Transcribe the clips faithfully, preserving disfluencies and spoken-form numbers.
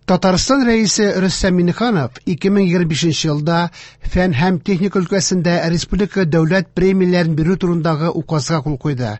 Татарстан Рәисе Рөстәм Миңнеханов ике мең егерме бишенче елда фән һәм техника өлкәсендә республика дәүләт премияләрен бирү турындагы указга кул куйды.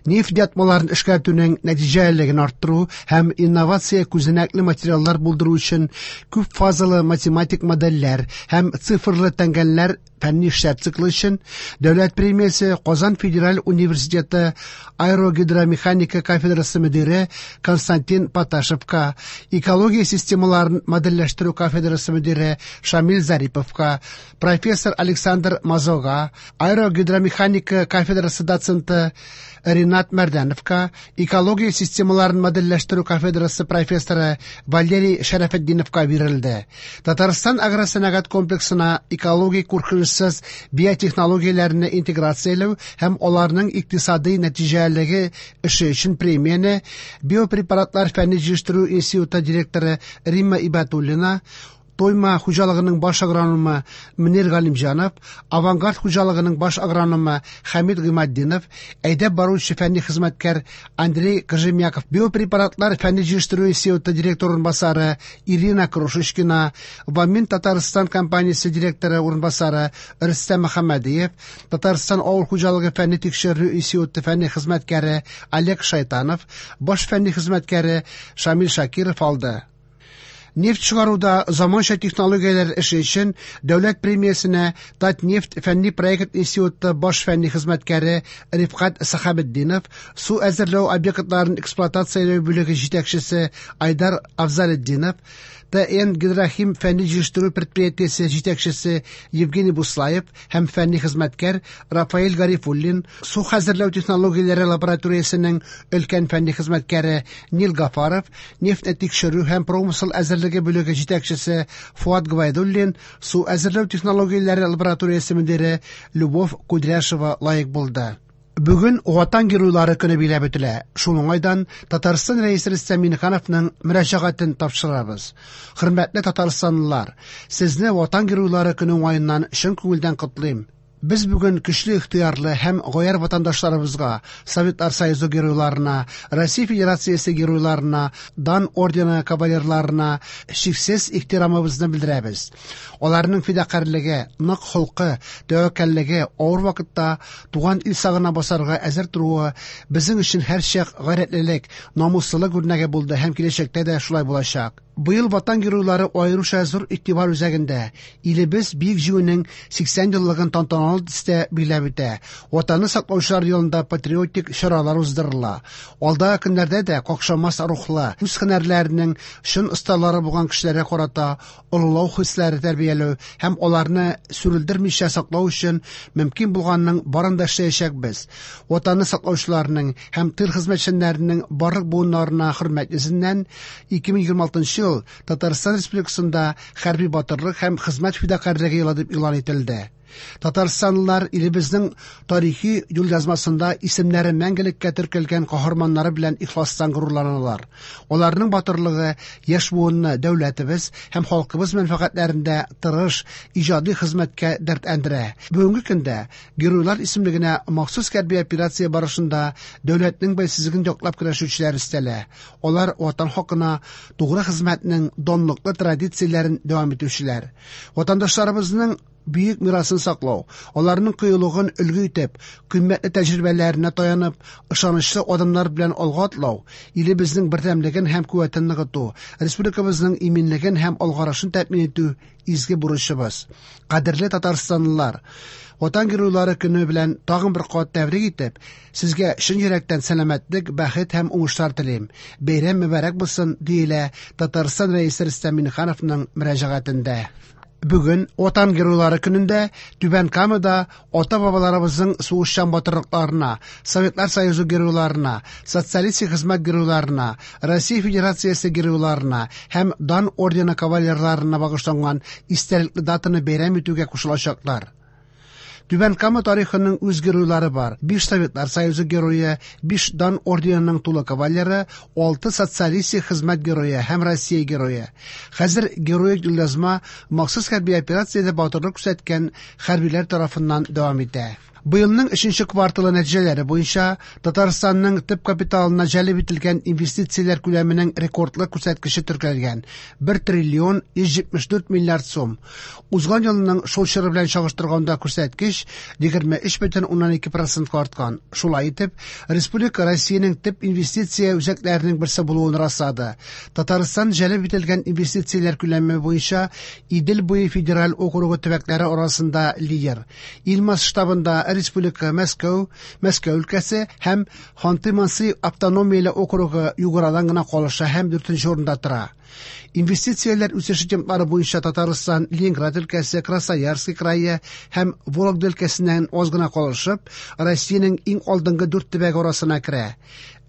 Нефть ятмаларын эшкәртүнең нәтиҗәлелеген арттыру һәм инновация күзәнәкле материаллар булдыру өчен күп фазалы математик модельләр һәм цифрлы тәңгәлләр фәнни эшләр циклы өчен дәүләт премиясе Казан федераль университеты аэрогидромеханика кафедрасы мөдире Константин Поташевка, экология системаларын модельләштерү кафедрасы мөдире Шамил Зариповка, профессор Александр Мазога, аэрогидромеханика кафедрасы доценты Ринат Мәрдәновка, экология системаларын модельләштерү кафедрасы профессоры Валерий Шәрәфетдиновка бирелде. Татарстан агросәнәгать комплексына экологик куркынычсыз биотехнологияләрне интеграцияләү һәм аларның икътисади нәтиҗәлелеге эше өчен премияне биопрепаратлар фәнни җыештыру институты директоры Римма Ибатуллина, Тойма хуҗалыгының баш агрономы Мөнир Галимҗанов, Авангард хуҗалыгының баш агрономы Хәмид Гыйматдинов, әйдәп баручы фәнни хезмәткәр Андрей Кожемяков, биопрепаратлар фәнни җыештыру институты директор урынбасары Ирина Крошечкина, Вамин Татарстан компаниясе директоры урынбасары Рөстәм Мөхәммәдиев, Татарстан авыл хуҗалыгы фәнни тикшерү институты фәнни хезмәткәре Олег Шайтанов, баш фәнни хезмәткәре Шамил Шакиров алды. Нефть чыгаруда заманча технологияләр эше өчен дәүләт премиясенә Татнефть фәнни проект институты баш фәнни хезмәткәре Рифкать Сахабетдинов, су әзерләү объектларын эксплуатацияләү бүлеге җитәкчесе Айдар Афзалетдинов, Т Н Гидрохим фәнни җыештыру предприятиесе җитәкчесе Евгений Буслаев һәм фәнни хезмәткәр Рафаэль Гарифуллин, су хәзерләү технологияләре лабораториясенең өлкән фәнни хезмәткәре Нил Гафаров, нефть тикшерү һәм промысел әзерлеге бүлеге җитәкчесе Фуат Гвайдуллин, су әзерләү технологияләре лабораториясе мөдире Любовь Кудряшева лаек булды. Бүген Ватан геройлары көне биләп үтелә. Шул уңайдан Татарстан Рәисе Рөстәм Миңнехановның мөрәҗәгатен тапшырабыз. Хөрмәтле татарстанлылар, сезне Ватан геройлары көне уңаеннан чын күңелдән котлыйм. Без бүген көчле ихтыярлы һәм гаярь ватандашларыбызга, Советлар Союзы геройларына, Россия Федерациясе геройларына, Дан ордены кавалерларына чиксез ихтирамыбызны белдерәбез. Аларның фидакарьлеге, нык холкы, тәвәккәллеге авыр вакытта туган ил сагына басарга әзер торуы безнең өчен һәрчак гайрәтлелек, намуслылык үрнәге булды һәм киләчәктә дә шулай булачак. Быел Ватан геройлары аеруча зур игътибар үзәгендә. Илебез Бөек Җиңүнең сиксән еллыгын тантаналы төстә биләп үтә. Ватанны саклаучылар елында патриотик чаралар уздырыла. Алдагы көннәрдә дә какшамас рухлы, үз һөнәрләренең чын осталары булган кешеләргә карата олылау хисләре тәрбияләү һәм аларны сүрелдермичә саклау өчен мөмкин булганның барын да эшләячәкбез. Ватанны саклаучыларның һәм тыл хезмәтчәннәренең барлык буыннарына хөрмәт йөзеннән ике мең егерме алтынчы ел Татарстан Республикасында хәрби батырлык һәм хезмәт фидакарьлеге елы дип игълан ителде. Татарстанлылар илебезнең тарихи юлъязмасында исемнәре мәңгелеккә теркәлгән каһарманнары белән ихластан горурланалар. Аларның батырлыгы яшь буынны дәүләтебез һәм халкыбыз мәнфәгатьләрендә тырыш, иҗади хезмәткә дәртләндерә. Бүгенге көндә геройлар исемлегенә махсус хәрби операция барышында дәүләтнең бәйсезлеген яклап көрәшүчеләр өстәлә. Алар ватан хакына тугры хезмәтнең данлыклы традицияләрен дәвам итүчеләр. Ватандашларыбызның бөек мирасын саклау, аларның кыюлыгын өлгү итеп, кыйммәтле тәҗрибәләренә таянып, ышанычлы адымнар белән алга атлау, илебезнең бердәмлеген һәм куәтен ныгыту, республикабызның иминлеген һәм алгарышын тәэмин итү изге бурычыбыз. Кадерле татарстанлылар, Ватан геройлары көне белән тагын бер кат тәбрик итеп, сезгә чын йөрәктән сәламәтлек, бәхет һәм уңышлар телим. Бәйрәм мөбарәк булсын, диелә Татарстан Рәисе Рөстәм Миңнехановның мөрәҗәгатендә. Бүген Ватан геройлары көнендә Түбән Камада ата-бабаларыбызның сугышчан батырлыкларына, Советлар Союзы геройларына, социалистик хезмәт геройларына, Россия Федерациясе геройларына һәм Дан ордены кавалерларына багышланган истәлекле датаны бәйрәм итүгә кушылачаклар. Түбән Кама тарихының үз геройлары бар. Биш Советлар Союзы герое, биш Дан орденының тулы кавалеры, алты социалистик хезмәт герое һәм Россия герое. Хәзер героик юлъязма махсус хәрби операциядә батырлык күрсәткән хәрбиләр тарафыннан дәвам итә. Быелның өченче кварталы нәтиҗәләре буенча Татарстанның төп капиталына җәлеп ителгән инвестицияләр күләменең рекордлы күрсәткече теркәлгән – бер триллион йөз җитмеш дүрт миллиард сум. Узган елның шул чоры белән чагыштырганда күрсәткеч егерме өч бөтен уннан ике процентка арткан. Шулай итеп, республика Россиянең төп инвестиция үзәкләренең берсе булуын раслады. Татарстан җәлеп ителгән инвестицияләр күләме буенча Идел буе федераль округы төбәкләре арасында лидер. Ил масштабында Республика Мәскәү, Мәскәү өлкәсе һәм Ханты-Манси автономияле округы Юградан гына калыша һәм дүртенче урында тора. Инвестицияләр үсеше темплары буенча Татарстан, Ленинград өлкәсе, Красноярский крае һәм Вологда өлкәсеннән аз гына калышып, Россиянең иң алдынгы дүрт төбәге арасына керә.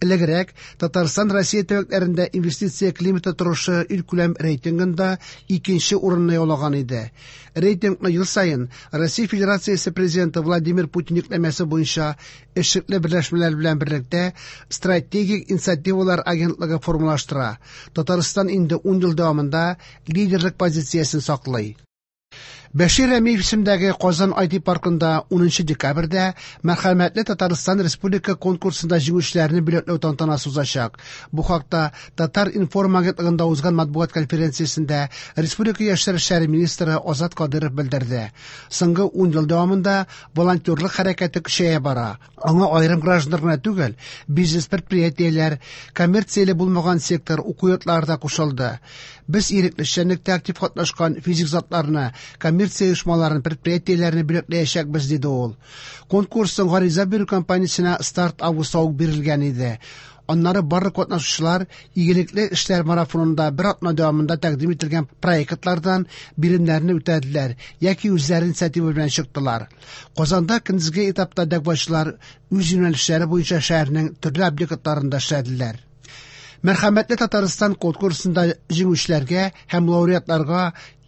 Элегрәк Татарстан Россия төбәкләрендә инвестиция климаты торышы илкүләм рейтингында икенче урынны яулаган иде. Рейтингны ел саен Россия Федерациясе президенты Владимир Путин йөкләмәсе буенча эшлекле берләшмәләр белән берлектә Стратегик инициативалар агентлыгы формалаштыра. Татарстан инде ун ел дәвамында лидерлык позициясен саклый. Бәшир Рәмиев исемендәге Казан ай ти паркында унынчы декабрьдә Мәрхәмәтле Татарстан Республика конкурсында җиңүчеләрне бүләкләү тантанасы узачак. Бу хакта Татар информ агентлыгында узган матбугат конференциясендә Республика яшьләр эшләре министры Азат Кадыров белдерде. Соңгы ун ел дәвамында волонтерлык хәрәкәте көчәя бара. Аңа аерым гражданнар гына түгел, бизнес предприятиеләр, коммерцияле булмаган сектор, уку йортлары да кушылды. Без ирекле эшчәнлектә актив катнашкан физик затларны, коммерция оешмаларын, предприятиеләрне бүләкләячәкбез, диде ул. Конкурсның гариза бирү кампаниясенә старт августта ук бирелгән иде. Аннары барлык катнашучылар игелекле эшләр марафонында бер атна дәвамында тәкъдим ителгән проектлардан биремнәрне үтәделәр яки үзләре инициатива белән чыктылар. Казанда көндезге этапта дәгъвачылар үз юнәлешләре буенча шәһәрнең төрле объектларында эшләделәр. Мәрхәмәтле Татарстан конкурсында җиңүчеләргә һәм лауреатларга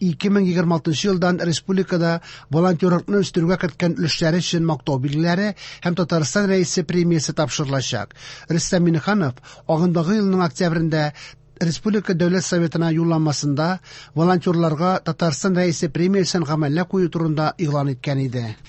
ике мең егерме алтынчы елдан республикада волонтерлыкны үстерүгә керткән өлешләре өчен мактау билгеләре һәм Татарстан Рәисе премиясе тапшырылачак. Рөстәм Миңнеханов агымдагы елның октябрендә Республика Дәүләт Советына юлламасында волонтерларга Татарстан Рәисе премиясен гамәлгә кую турында игълан иткән иде.